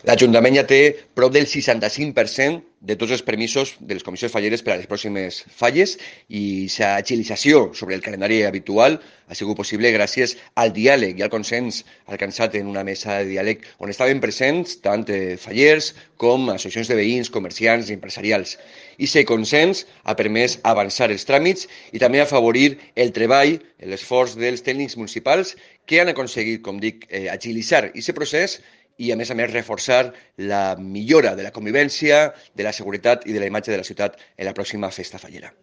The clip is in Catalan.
L'Ajuntament ja té prop del 65% de tots els permisos de les comissions falleres per a les pròximes falles i la agilització sobre el calendari habitual ha sigut possible gràcies al diàleg i al consens alcançat en una mesa de diàleg on estaven presents tant fallers com associacions de veïns, comerciants i empresarials. I aquest consens ha permès avançar els tràmits i també afavorir el treball, l'esforç dels tècnics municipals que han aconseguit, com dic, agilitzar aquest procés i, a més, reforçar la millora de la convivència, de la seguretat i de la imatge de la ciutat en la pròxima festa fallera.